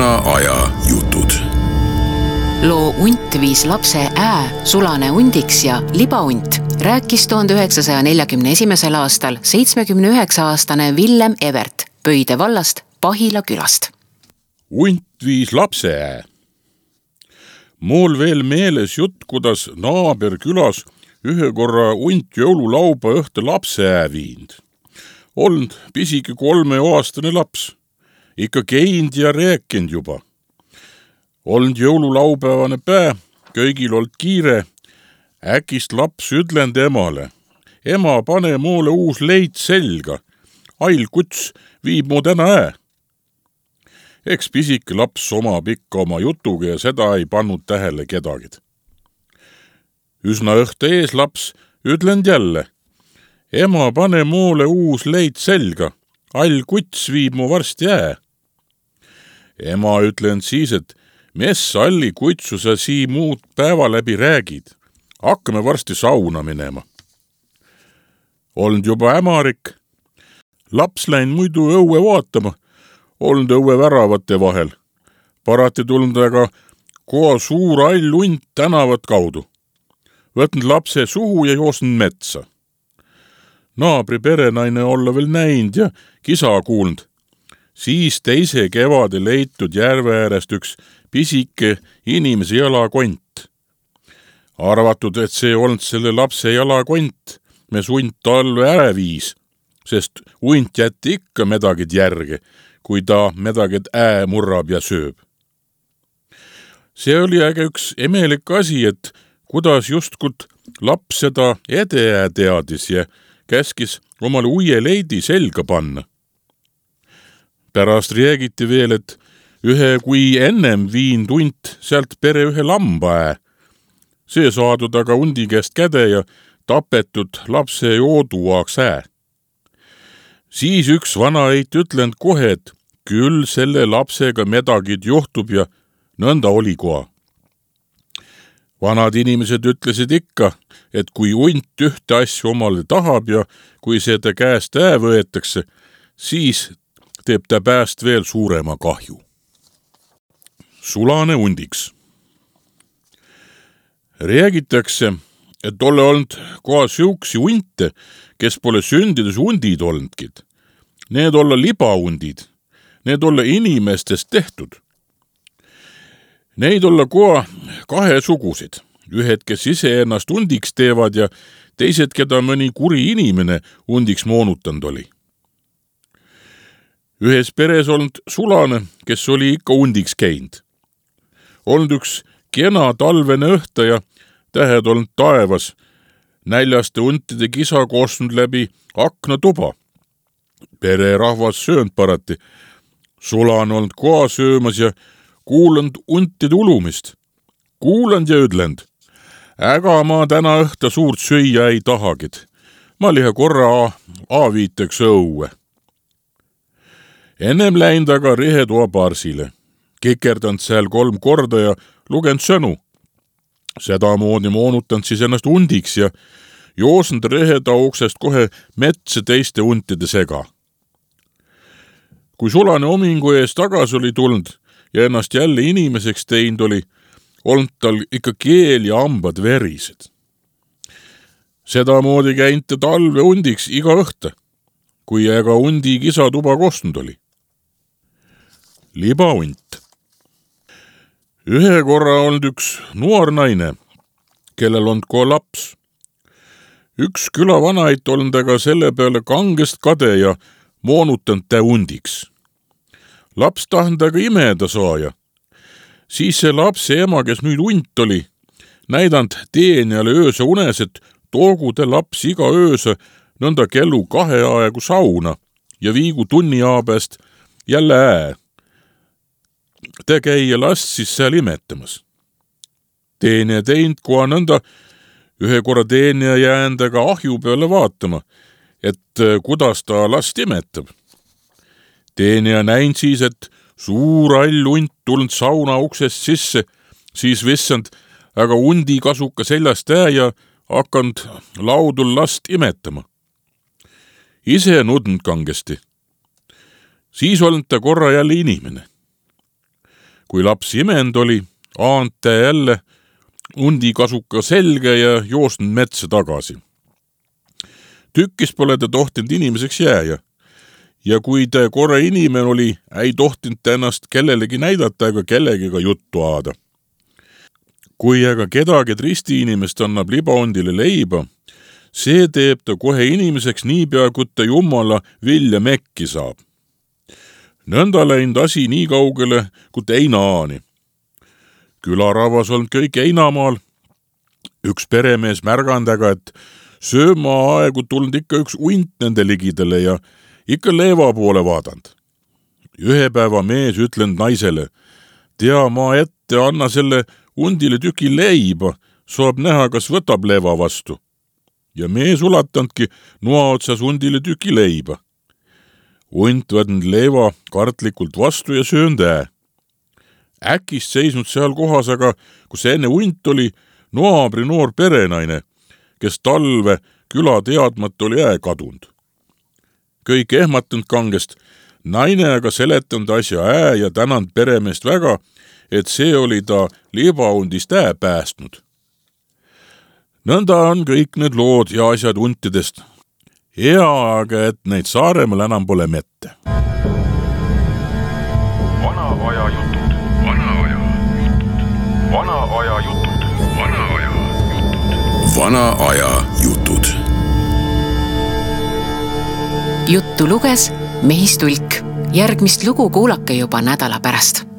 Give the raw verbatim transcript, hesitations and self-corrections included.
vana aja jutud. Loo Unt viis lapse ää sulane undiks ja libaunt rääkis tuhande üheksasaja neljakümne esimesel aastal seitsmekümne üheksa aastane Villem Evert Pöide vallast Pahila külast. Unt viis lapse ää. Mul veel meeles jutt, kuidas naaber külas ühe korra unt jõululauba õhte lapse ää viind. Olnud pisike kolmeaastane laps. Ikka keind ja rääkind juba. Olnud jõululaupäevane pää, köigil olnud kiire. Äkist laps ütlend emale. Ema, pane mulle uus leid selga. Ail kuts viib mu täna ää. Eks pisike laps oma pikka oma jutuga ja seda ei pannud tähele kedagid. Üsna õhte ees laps ütlend jälle. Ema, pane mulle uus leid selga. All kuts viib mu varsti ää. Ema ütlend siis, et mes alli kutsu sa sii muud päeva läbi räägid. Hakkame varsti sauna minema. Olnud juba ämarik. Laps läinud muidu õue vaatama. Olnud õue väravate vahel. Parati tulnud aga koha suur all unt tänavat kaudu. Võtnud lapse suhu ja joosnud metsa. Naabri perenaine olla veel näinud ja kisa kuulnud. Siis teise kevade leitud järve äärest üks pisike inimese jalakont. Arvatud, et see olnud selle lapse jalakont, mes unt talve ära viis, sest unt jätti ikka medagid järge, kui ta medagid ää murrab ja sööb. See oli äge üks emelik asi, et kuidas justkut laps seda edeää teadis ja käskis omale uie leidi selga panna. Pärast räägiti veel, et ühe kui ennem viind unt sealt pere ühe lamba ää. See saadud aga undi käest käde ja tapetud lapse jooduaaks ää. Siis üks vana eit ütlend kohe, et küll selle lapsega medagid juhtub ja nõnda oli koha. Vanad inimesed ütlesid ikka, et kui unt ühte asju omale tahab ja kui seda käest ää võetakse, siis teeb ta pääst veel suurema kahju. Sulane undiks. Räägitakse, et ole olnud koha siuksi unte, kes pole sündides undid olnudkid. Need olla libaundid, need olla inimestest tehtud. Neid olla koha kahe sugusid. Ühed, kes ise ennast undiks teevad ja teised, keda mõni kuri inimene undiks moonutanud oli. Ühes peres olnud sulane, kes oli ikka undiks käinud. Olnud üks kena talvene õhta ja tähed olnud taevas. Näljaste untide kisa koosnud läbi akna tuba. Pere rahvas söönd parati. Sulane olnud koha söömas ja kuulanud untide ulumist. Kuulanud ja ütlend. Äga ma täna õhta suurt süüa ei tahagid. Ma liha korra aaviiteks õue. Ennem läinud aga rehetoa parsile. Kikerdanud seal kolm korda ja lugend sõnu. Seda moodi moonutanud siis ennast undiks ja joosnud rehetoa uksest kohe metsa teiste untide sega. Kui sulane omingu ees tagasi oli tulnud ja ennast jälle inimeseks teinud oli, olnud tal ikka keel ja hambad verised. Seda moodi käinud ta talve undiks iga õhta, kui ega undi kisa tuba kostnud oli. Libaunt. Ühe korra olnud üks noor naine, kellel olnud koha laps. Üks külavanait olnud aga selle peale kangest kade ja moonutanud ta undiks. Laps tahnud aga imeda saaja. Siis see lapse ema, kes nüüd unt oli, näidanud teenjale ööse unes, et toogu te laps iga ööse nõnda kellu kahe aegu sauna ja viigu tunni aabest jälle ää. Te käia last siis seal imetamas. Teenja teinud koha nõnda, ühe korra teenja jäänud aga ahju peale vaatama, et kuidas ta last imetab. Teenja näinud siis, et suur all unt tulnud sauna uksest sisse, siis vissand, aga undi kasuka seljast ää ja hakanud laudul last imetama. Ise nudnud kangesti. Siis olnud ta korra jälle inimene. kui laps imend oli, aante jälle undi kasuka selge ja joostnud metsa tagasi. Tükkis pole ta tohtinud inimeseks jääja. Ja kui ta korra inimene oli, ei tohtinud ta ennast kellelegi näidata ega kellegiga juttu aada. Kui aga kedagi tristi inimest annab libaondile leiba, see teeb ta kohe inimeseks niipea, kui ta Jumala vilja mekki saab. Nõnda läinud asi nii kaugele, kui ta Einaani. Külarahvas olnud kõik Einamaal. Üks peremees märgandaga, et sööma aegu tulnud ikka üks uint nende ligidele ja ikka leeva poole vaadanud. Ühe päeva mees ütlenud naisele, tea ma ette, anna selle undile tüki leiba, saab näha, kas võtab leeva vastu. Ja mees ulatandki noa otsas undile tüki leiba. Unt võtnud leeva kartlikult vastu ja söönd ää. Äkist seisnud seal kohas, aga kus enne unt oli naabri noor perenaine, kes talve küla teadmata oli ää kadund. Kõik ehmatanud kangest, naine aga seletanud asja ää ja tänanud peremeest väga, et see oli ta libaundist ää päästnud. Nõnda on kõik need lood ja asjad untidest. Hea aga, et neid Saaremaal enam pole mette. Vana aja jutud. Vana aja jutud. Vana aja jutud. Vana aja jutud. Vana aja jutud. Juttu luges Mehis Tulk. Järgmist lugu kuulake juba nädala pärast.